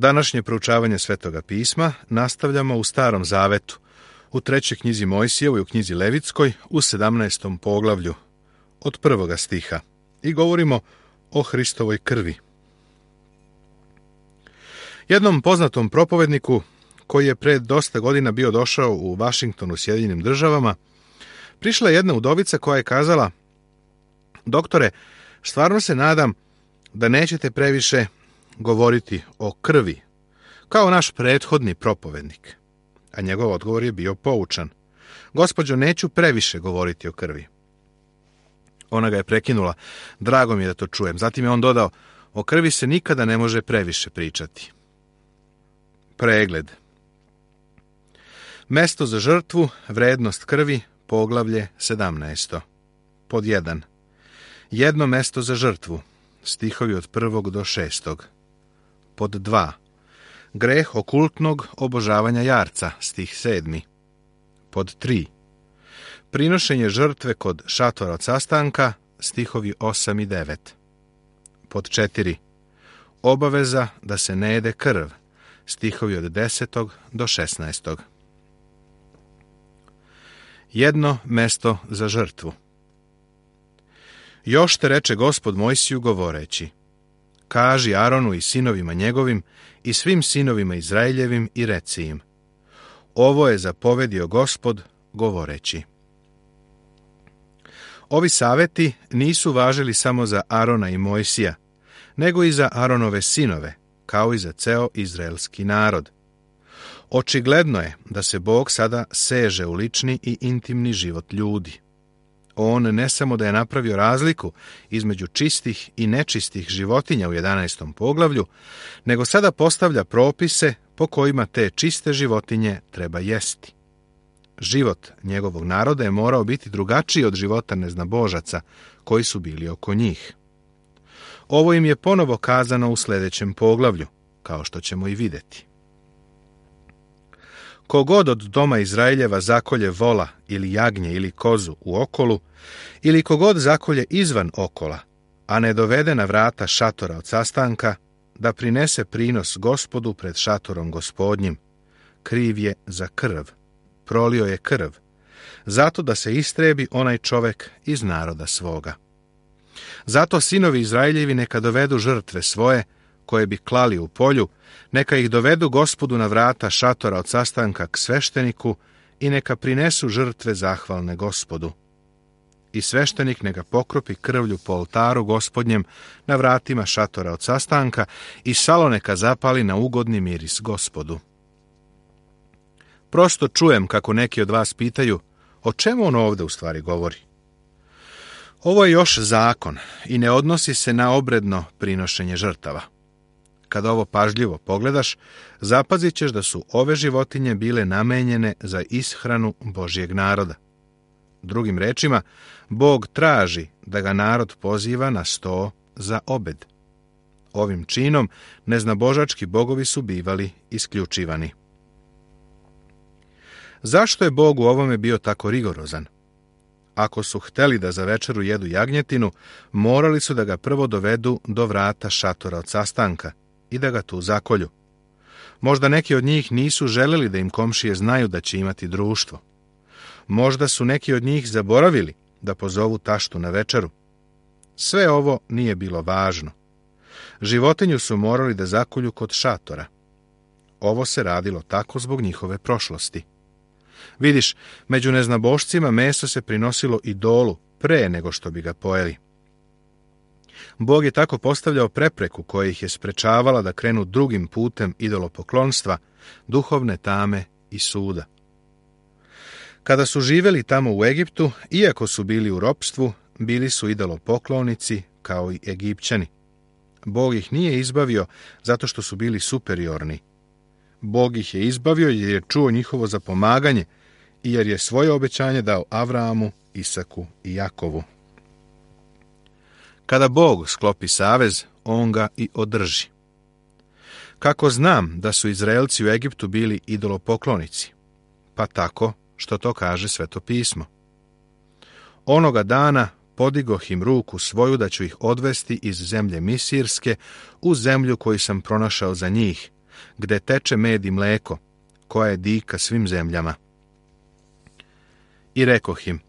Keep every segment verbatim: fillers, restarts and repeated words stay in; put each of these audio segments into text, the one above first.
Današnje proučavanje Svetoga pisma nastavljamo u Starom zavetu, u trećoj knjizi Mojsijevoj, u knjizi Levitskoj, u sedamnaestom poglavlju, od prvoga stiha, i govorimo o Hristovoj krvi. Jednom poznatom propovedniku, koji je pred dosta godina bio došao u Vašington u Sjedinjenim državama, prišla je jedna udovica koja je kazala: doktore, stvarno se nadam da nećete previše govoriti o krvi, kao naš prethodni propovednik. A njegov odgovor je bio poučan: gospođo, neću previše govoriti o krvi. Ona ga je prekinula: drago mi je da to čujem. Zatim je on dodao: o krvi se nikada ne može previše pričati. Pregled. Mesto za žrtvu, vrednost krvi, poglavlje sedamnaesto. Pod jedan. Jedno mesto za žrtvu, stihovi od prvog do šestog. Pod dva. Greh okultnog obožavanja jarca, stih sedmi. Pod tri. Prinošenje žrtve kod šatora od sastanka, stihovi osam i devet. Pod četiri. Obaveza da se ne jede krv, stihovi od desetog do šesnaestog. Jedno mesto za žrtvu. Još te reče Gospod Mojsiju govoreći: kaži Aronu i sinovima njegovim i svim sinovima Izraeljevim i reci im: ovo je zapovedio Gospod govoreći. Ovi saveti nisu važili samo za Arona i Mojsija, nego i za Aronove sinove, kao i za ceo izraelski narod. Očigledno je da se Bog sada seže u lični i intimni život ljudi. On ne samo da je napravio razliku između čistih i nečistih životinja u jedanaestom poglavlju, nego sada postavlja propise po kojima te čiste životinje treba jesti. Život njegovog naroda je morao biti drugačiji od života neznabožaca koji su bili oko njih. Ovo im je ponovo kazano u sljedećem poglavlju, kao što ćemo i vidjeti. Kogod od doma Izraeljeva zakolje vola ili jagnje ili kozu u okolu, ili kogod zakolje izvan okola, a ne dovede na vrata šatora od sastanka, da prinese prinos Gospodu pred šatorom Gospodnjim, kriv je za krv, prolio je krv, zato da se istrebi onaj čovek iz naroda svoga. Zato sinovi Izraeljevi neka dovedu žrtve svoje, koje bi klali u polju, neka ih dovedu Gospodu na vrata šatora od sastanka k svešteniku i neka prinesu žrtve zahvalne Gospodu. I sveštenik neka pokropi krvlju po oltaru Gospodnjem na vratima šatora od sastanka i salo neka zapali na ugodni miris Gospodu. Prosto čujem kako neki od vas pitaju: o čemu on ovdje u stvari govori? Ovo je još zakon i ne odnosi se na obredno prinošenje žrtava. Kada ovo pažljivo pogledaš, zapazit ćeš da su ove životinje bile namenjene za ishranu Božjeg naroda. Drugim rečima, Bog traži da ga narod poziva na sto za obed. Ovim činom neznabožački bogovi su bivali isključivani. Zašto je Bog u ovome bio tako rigorozan? Ako su hteli da za večeru jedu jagnjetinu, morali su da ga prvo dovedu do vrata šatora od sastanka i da ga tu zakolju. Možda neki od njih nisu želeli da im komšije znaju da će imati društvo. Možda su neki od njih zaboravili da pozovu taštu na večeru. Sve ovo nije bilo važno. Životinju su morali da zakolju kod šatora. Ovo se radilo tako zbog njihove prošlosti. Vidiš, među neznabošcima meso se prinosilo idolu pre nego što bi ga pojeli. Bog je tako postavljao prepreku koja ih je sprečavala da krenu drugim putem idolopoklonstva, duhovne tame i suda. Kada su živjeli tamo u Egiptu, iako su bili u ropstvu, bili su idolopoklonici kao i Egipćani. Bog ih nije izbavio zato što su bili superiorni. Bog ih je izbavio jer je čuo njihovo zapomaganje i jer je svoje obećanje dao Avramu, Isaku i Jakovu. Kada Bog sklopi savez, on ga i održi. Kako znam da su Izraelci u Egiptu bili idolopoklonici? Pa tako što to kaže Sveto pismo. Onoga dana podigoh im ruku svoju da ću ih odvesti iz zemlje Misirske u zemlju koju sam pronašao za njih, gde teče med i mleko, koja je dika svim zemljama. I rekoh im,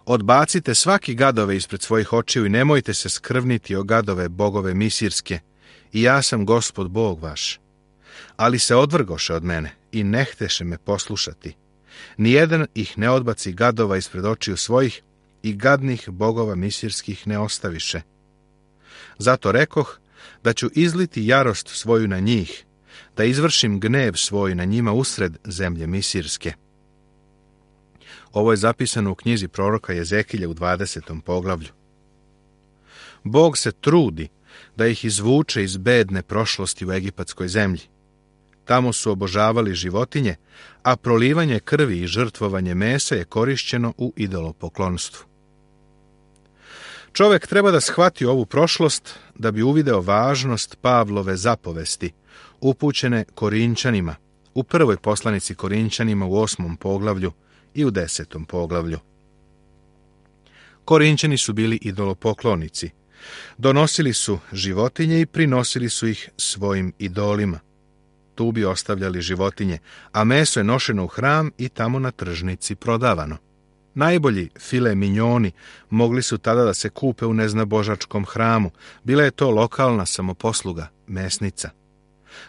odbacite svaki gadove ispred svojih očiju i nemojte se skrvniti o gadove bogove misirske, i ja sam Gospod Bog vaš. Ali se odvrgoše od mene i ne hteše me poslušati. Nijedan ih ne odbaci gadova ispred očiju svojih i gadnih bogova misirskih ne ostaviše. Zato rekoh da ću izliti jarost svoju na njih, da izvršim gnev svoj na njima usred zemlje misirske. Ovo je zapisano u knjizi proroka Jezekilja u dvadesetom poglavlju. Bog se trudi da ih izvuče iz bedne prošlosti u egipatskoj zemlji. Tamo su obožavali životinje, a prolivanje krvi i žrtvovanje mesa je korišćeno u idolopoklonstvu. Čovek treba da shvati ovu prošlost da bi uvideo važnost Pavlove zapovesti, upućene Korinčanima, u prvoj poslanici Korinčanima u osmom poglavlju i u desetom poglavlju. Korinčani su bili idolopoklonici. Donosili su životinje i prinosili su ih svojim idolima. Tu bi ostavljali životinje, a meso je nošeno u hram i tamo na tržnici prodavano. Najbolji file minjoni mogli su tada da se kupe u neznabožačkom hramu. Bila je to lokalna samoposluga, mesnica.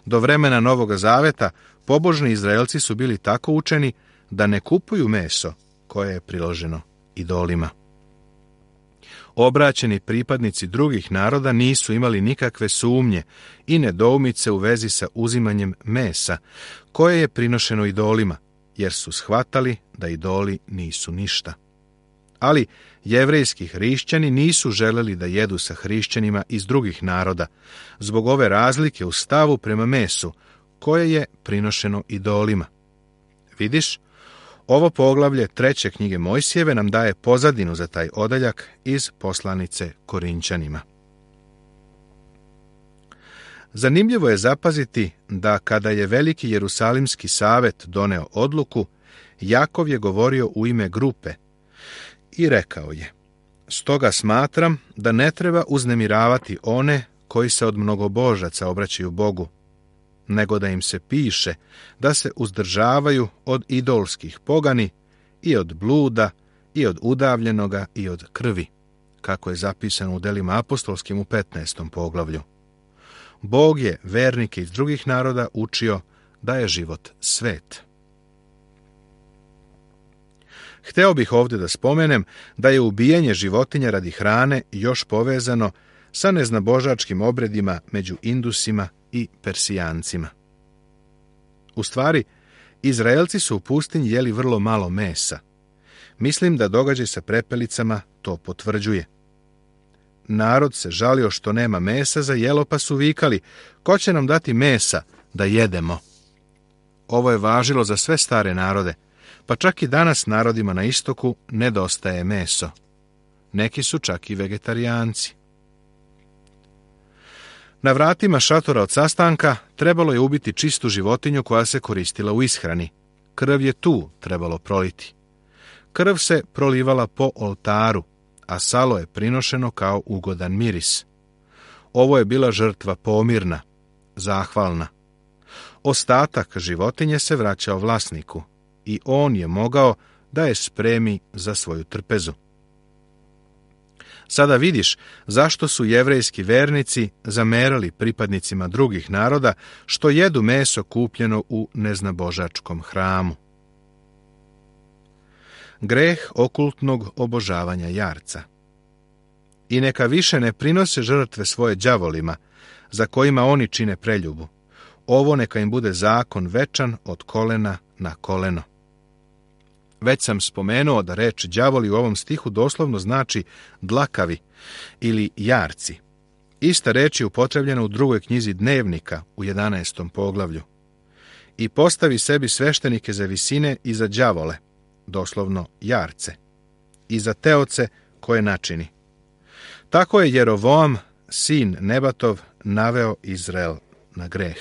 Do vremena Novoga Zaveta pobožni Izraelci su bili tako učeni da ne kupuju meso koje je priloženo idolima. Obraćeni pripadnici drugih naroda nisu imali nikakve sumnje i nedoumice u vezi sa uzimanjem mesa koje je prinošeno idolima, jer su shvatali da idoli nisu ništa. Ali jevrejski hrišćani nisu želeli da jedu sa hrišćanima iz drugih naroda, zbog ove razlike u stavu prema mesu, koje je prinošeno idolima. Vidiš, ovo poglavlje treće knjige Mojsijeve nam daje pozadinu za taj odeljak iz poslanice Korinčanima. Zanimljivo je zapaziti da kada je veliki Jerusalimski savet doneo odluku, Jakov je govorio u ime grupe i rekao je: stoga smatram da ne treba uznemiravati one koji se od mnogobožaca obraćaju Bogu, nego da im se piše da se uzdržavaju od idolskih pogani i od bluda i od udavljenoga i od krvi, kako je zapisano u delima apostolskim u petnaestom poglavlju. Bog je vernike iz drugih naroda učio da je život svet. Hteo bih ovdje da spomenem da je ubijanje životinja radi hrane još povezano sa neznabožačkim obredima među Indusima i Persijancima. U stvari, Izraelci su u pustinji jeli vrlo malo mesa. Mislim da događaj sa prepelicama to potvrđuje. Narod se žalio što nema mesa za jelo, pa su vikali: ko će nam dati mesa da jedemo? Ovo je važilo za sve stare narode, pa čak i danas narodima na istoku nedostaje meso. Neki su čak i vegetarijanci. Na vratima šatora od sastanka trebalo je ubiti čistu životinju koja se koristila u ishrani. Krv je tu trebalo proliti. Krv se prolivala po oltaru, a salo je prinošeno kao ugodan miris. Ovo je bila žrtva pomirna, zahvalna. Ostatak životinje se vraćao vlasniku i on je mogao da je spremi za svoju trpezu. Sada vidiš zašto su jevrejski vernici zamerali pripadnicima drugih naroda što jedu meso kupljeno u neznabožačkom hramu. Greh okultnog obožavanja jarca. I neka više ne prinose žrtve svoje đavolima, za kojima oni čine preljubu. Ovo neka im bude zakon večan od kolena na koleno. Već sam spomenuo da reč đavoli u ovom stihu doslovno znači dlakavi ili jarci. Ista reč je upotrebljena u drugoj knjizi Dnevnika u jedanaestom poglavlju. I postavi sebi sveštenike za visine i za đavole, doslovno jarce, i za teoce koje načini. Tako je Jerovoam, sin Nebatov, naveo Izrael na greh.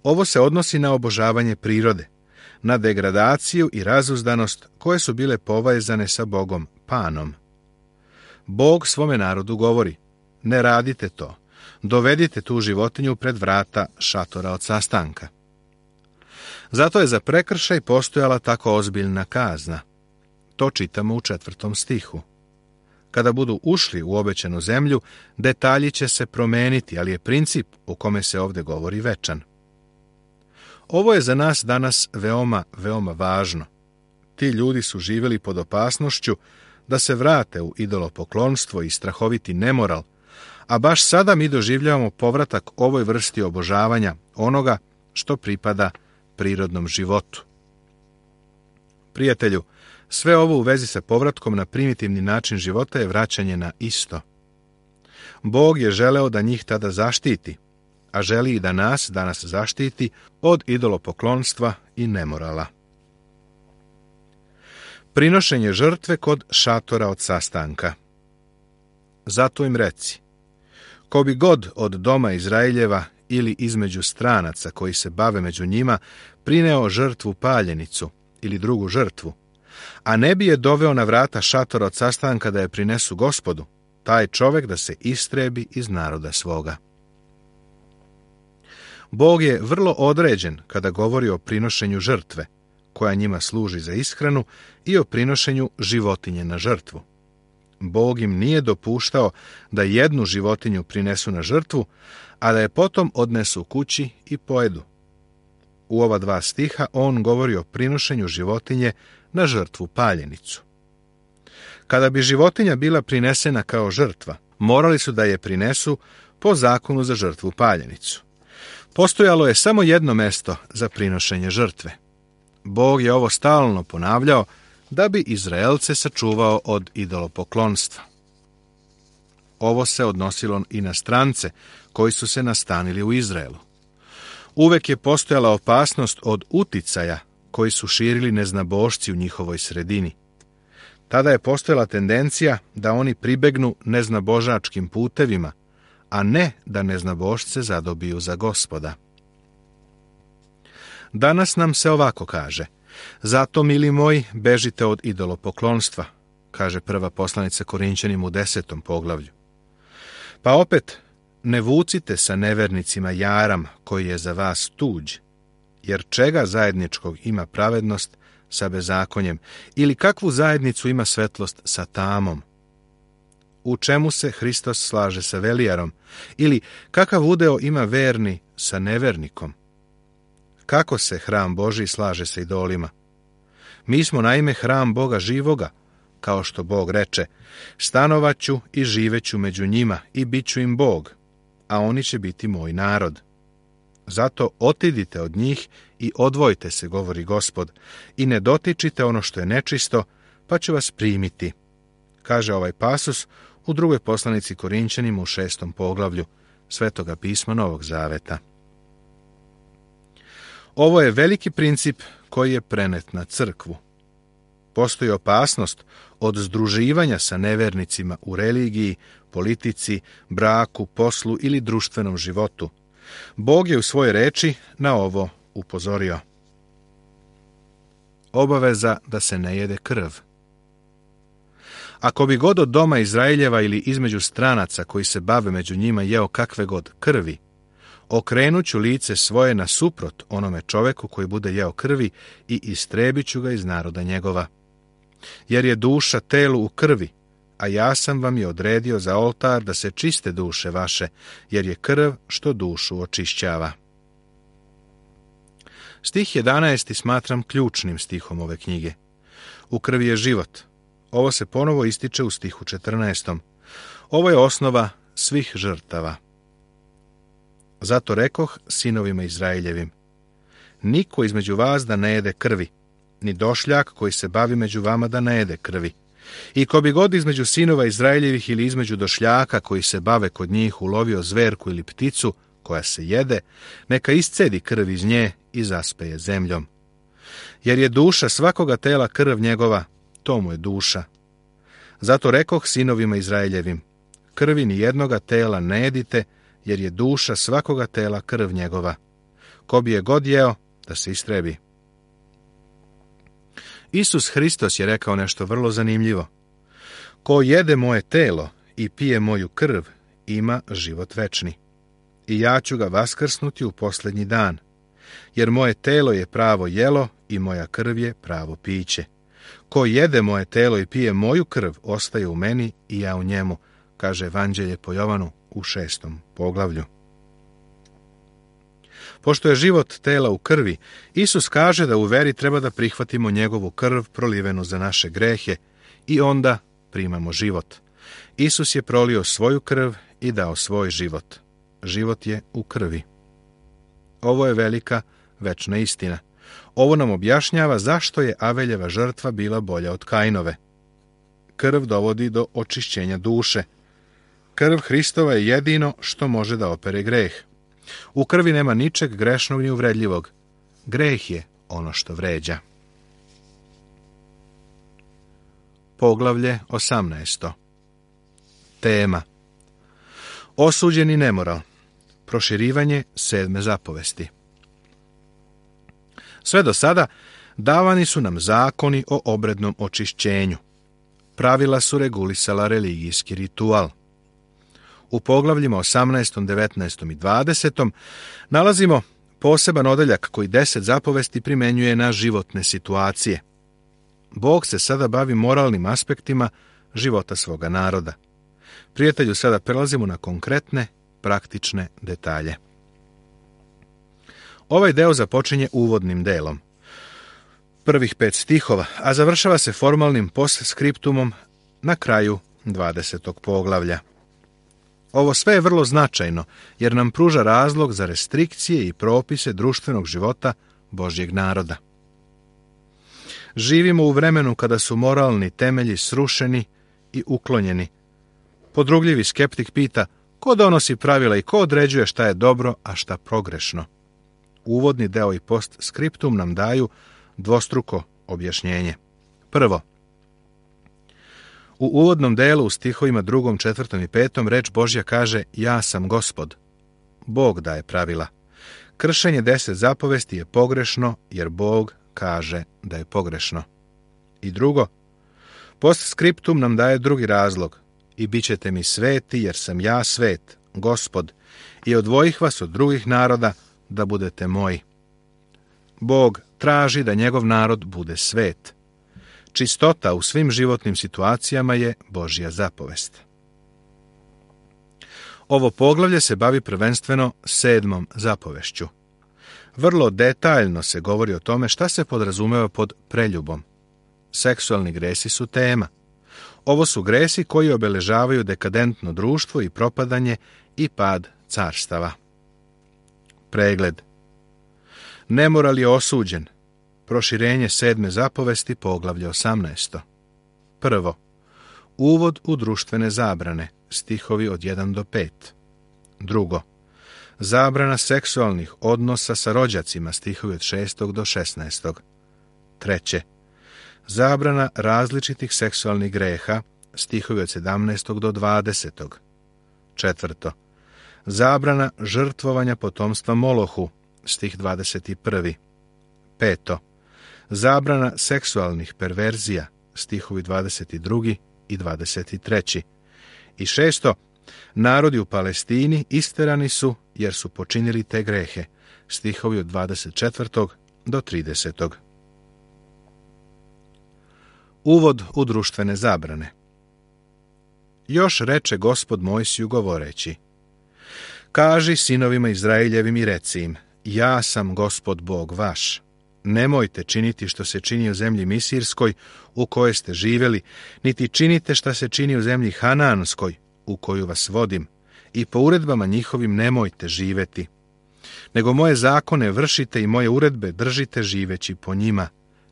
Ovo se odnosi na obožavanje prirode, na degradaciju i razuzdanost koje su bile povezane sa Bogom Panom. Bog svome narodu govori: ne radite to, dovedite tu životinju pred vrata šatora od sastanka. Zato je za prekršaj postojala tako ozbiljna kazna. To čitamo u četvrtom stihu. Kada budu ušli u obećanu zemlju, detalji će se promeniti, ali je princip u kome se ovdje govori večan. Ovo je za nas danas veoma, veoma važno. Ti ljudi su živjeli pod opasnošću da se vrate u idolopoklonstvo i strahoviti nemoral, a baš sada mi doživljavamo povratak ovoj vrsti obožavanja onoga što pripada prirodnom životu. Prijatelju, sve ovo u vezi sa povratkom na primitivni način života je vraćanje na isto. Bog je želeo da njih tada zaštiti, a želi i da nas danas zaštiti od idolopoklonstva i nemorala. Prinošenje žrtve kod šatora od sastanka. Zato im reci, ko bi god od doma Izraeljeva ili između stranaca koji se bave među njima prineo žrtvu paljenicu ili drugu žrtvu, a ne bi je doveo na vrata šatora od sastanka da je prinesu Gospodu, taj čovjek da se istrebi iz naroda svoga. Bog je vrlo određen kada govori o prinošenju žrtve, koja njima služi za ishranu, i o prinošenju životinje na žrtvu. Bog im nije dopuštao da jednu životinju prinesu na žrtvu, a da je potom odnesu kući i pojedu. U ova dva stiha on govori o prinošenju životinje na žrtvu paljenicu. Kada bi životinja bila prinesena kao žrtva, morali su da je prinesu po zakonu za žrtvu paljenicu. Postojalo je samo jedno mesto za prinošenje žrtve. Bog je ovo stalno ponavljao da bi Izraelce sačuvao od idolopoklonstva. Ovo se odnosilo i na strance koji su se nastanili u Izraelu. Uvek je postojala opasnost od uticaja koji su širili neznabošci u njihovoj sredini. Tada je postojala tendencija da oni pribegnu neznabožačkim putevima, a ne da neznabošce zadobiju za Gospoda. Danas nam se ovako kaže: zato, mili moji, bežite od idolopoklonstva, kaže prva poslanica Korinćanima u desetom poglavlju. Pa opet, ne vucite sa nevernicima jaram koji je za vas tuđ, jer čega zajedničkog ima pravednost sa bezakonjem, ili kakvu zajednicu ima svetlost sa tamom? U čemu se Hristos slaže sa velijarom, ili kakav udeo ima verni sa nevernikom? Kako se hram Božji slaže sa idolima? Mi smo naime hram Boga živoga, kao što Bog reče: stanovaću i živeću među njima i bit ću im Bog, a oni će biti moj narod. Zato otidite od njih i odvojite se, govori Gospod, i ne dotičite ono što je nečisto, pa ću vas primiti, kaže ovaj pasus u drugoj poslanici Korinćanima u šestom poglavlju Svetoga pisma Novog Zaveta. Ovo je veliki princip koji je prenet na crkvu. Postoji opasnost od združivanja sa nevernicima u religiji, politici, braku, poslu ili društvenom životu. Bog je u svojoj reči na ovo upozorio. Obaveza da se ne jede krv. Ako bi god od doma Izraeljeva ili između stranaca koji se bave među njima jeo kakve god krvi, okrenut ću lice svoje nasuprot onome čoveku koji bude jeo krvi i istrebit ću ga iz naroda njegova. Jer je duša telu u krvi, a ja sam vam je odredio za oltar da se čiste duše vaše, jer je krv što dušu očišćava. Stih jedanaesti smatram ključnim stihom ove knjige. U krvi je život. Ovo se ponovo ističe u stihu četrnaestom. Ovo je osnova svih žrtava. Zato rekoh sinovima Izraeljevim: niko između vas da ne jede krvi, ni došljak koji se bavi među vama da ne jede krvi. I ko bi god između sinova Izraeljevih ili između došljaka koji se bave kod njih ulovio zverku ili pticu koja se jede, neka iscedi krv iz nje i zaspeje zemljom. Jer je duša svakoga tela krv njegova, to mu je duša. Zato rekoh sinovima Izraeljevim: krvi ni jednoga tela ne jedite, jer je duša svakoga tela krv njegova. Ko bi je god jeo, da se istrebi. Isus Hristos je rekao nešto vrlo zanimljivo. Ko jede moje telo i pije moju krv, ima život večni, i ja ću ga vaskrsnuti u posljednji dan, jer moje telo je pravo jelo i moja krv je pravo piće. Ko jede moje telo i pije moju krv, ostaje u meni i ja u njemu, kaže Evanđelje po Jovanu u šestom poglavlju. Pošto je život tela u krvi, Isus kaže da u veri treba da prihvatimo njegovu krv prolivenu za naše grehe i onda primamo život. Isus je prolio svoju krv i dao svoj život. Život je u krvi. Ovo je velika, večna istina. Ovo nam objašnjava zašto je Aveljeva žrtva bila bolja od Kainove. Krv dovodi do očišćenja duše. Krv Hristova je jedino što može da opere greh. U krvi nema ničeg grešnog ni uvredljivog. Greh je ono što vređa. Poglavlje osamnaesto. Tema: osuđeni nemoral. Proširivanje sedme zapovesti. Sve do sada davani su nam zakoni o obrednom očišćenju. Pravila su regulisala religijski ritual. U poglavljima osamnaestom, devetnaestom i dvadesetom nalazimo poseban odeljak koji deset zapovesti primenjuje na životne situacije. Bog se sada bavi moralnim aspektima života svoga naroda. Prijatelju, sada prelazimo na konkretne, praktične detalje. Ovaj deo započinje uvodnim delom, prvih pet stihova, a završava se formalnim postskriptumom na kraju dvadesetog poglavlja. Ovo sve je vrlo značajno, jer nam pruža razlog za restrikcije i propise društvenog života Božjeg naroda. Živimo u vremenu kada su moralni temelji srušeni i uklonjeni. Podrugljivi skeptik pita ko donosi pravila i ko određuje šta je dobro, a šta progrešno. Uvodni deo i postskriptum nam daju dvostruko objašnjenje. Prvo, u uvodnom delu u stihovima drugom, četvrtom i petom reč Božja kaže ja sam Gospod. Bog daje pravila. Kršenje deset zapovesti je pogrešno jer Bog kaže da je pogrešno. I drugo, postskriptum nam daje drugi razlog. I bit ćete mi sveti jer sam ja svet, Gospod, i odvojih vas od drugih naroda da budete moji. Bog traži da njegov narod bude svet. Čistota u svim životnim situacijama je Božja zapovest. Ovo poglavlje se bavi prvenstveno sedmom zapovešću. Vrlo detaljno se govori o tome šta se podrazumeva pod preljubom. Seksualni gresi su tema. Ovo su gresi koji obeležavaju dekadentno društvo i propadanje i pad carstava. Pregled. Nemoral je osuđen. Proširenje sedme zapovesti, poglavlje osamnaesto. Prvo, uvod u društvene zabrane, stihovi od jedan do pet. Drugo, zabrana seksualnih odnosa sa rođacima, stihovi od šestog do šesnaestog. Treće, zabrana različitih seksualnih greha, stihovi od sedamnaestog do dvadesetog. Četvrto, zabrana žrtvovanja potomstva Molohu, stih dvadeset prvi. Peto, zabrana seksualnih perverzija, stihovi dvadeset drugi i dvadeset treći. I šesto, narodi u Palestini isterani su jer su počinili te grehe, stihovi od dvadeset četvrtog do tridesetog. Uvod u društvene zabrane. Još reče Gospod Mojsiju govoreći: kaži sinovima Izraeljevim i reci im, ja sam Gospod Bog vaš. Nemojte činiti što se čini u zemlji Misirskoj, u kojoj ste živjeli, niti činite što se čini u zemlji Hanaanskoj, u koju vas vodim, i po uredbama njihovim nemojte živeti. Nego moje zakone vršite i moje uredbe držite živeći po njima.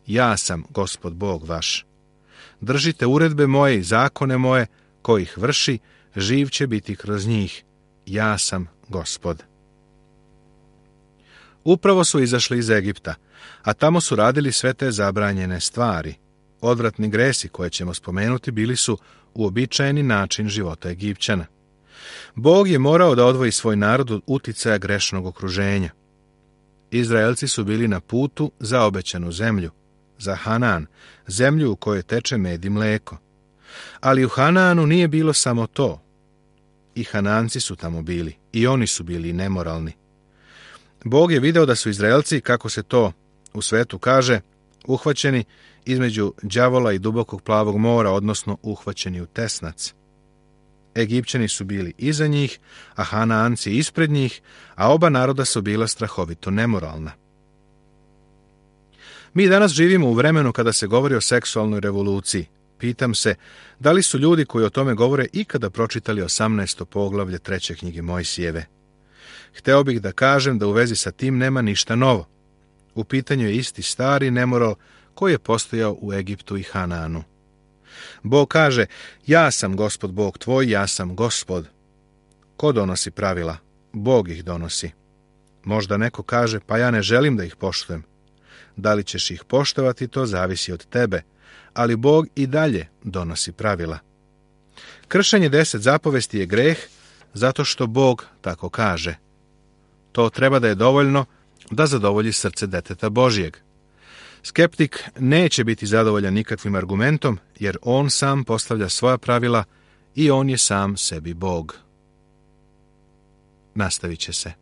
Ja sam Gospod Bog vaš. Držite uredbe moje i zakone moje, ko ih vrši, živ će biti kroz njih. Ja sam Gospod. Upravo su izašli iz Egipta, a tamo su radili sve te zabranjene stvari. Odvratni gresi koje ćemo spomenuti bili su uobičajeni način života Egipćana. Bog je morao da odvoji svoj narod od uticaja grešnog okruženja. Izraelci su bili na putu za obećanu zemlju, za Hanaan, zemlju u kojoj teče med i mleko. Ali u Hanaanu nije bilo samo to. I Hananci su tamo bili, i oni su bili nemoralni. Bog je video da su Izraelci, kako se to u svetu kaže, uhvaćeni između đavola i dubokog plavog mora, odnosno uhvaćeni u tesnac. Egipćani su bili iza njih, a Hanaanci ispred njih, a oba naroda su bila strahovito nemoralna. Mi danas živimo u vremenu kada se govori o seksualnoj revoluciji. Pitam se, da li su ljudi koji o tome govore ikada pročitali osamnaesto poglavlje treće knjige Mojsijeve? Hteo bih da kažem da u vezi sa tim nema ništa novo. U pitanju je isti stari nemoral koji je postojao u Egiptu i Hanaanu. Bog kaže, ja sam Gospod Bog tvoj, ja sam Gospod. Ko donosi pravila? Bog ih donosi. Možda neko kaže, pa ja ne želim da ih poštujem. Da li ćeš ih poštovati, to zavisi od tebe, ali Bog i dalje donosi pravila. Kršenje deset zapovesti je greh, zato što Bog tako kaže. To treba da je dovoljno da zadovolji srce deteta Božijeg. Skeptik neće biti zadovoljan nikakvim argumentom, jer on sam postavlja svoja pravila i on je sam sebi Bog. Nastavit će se.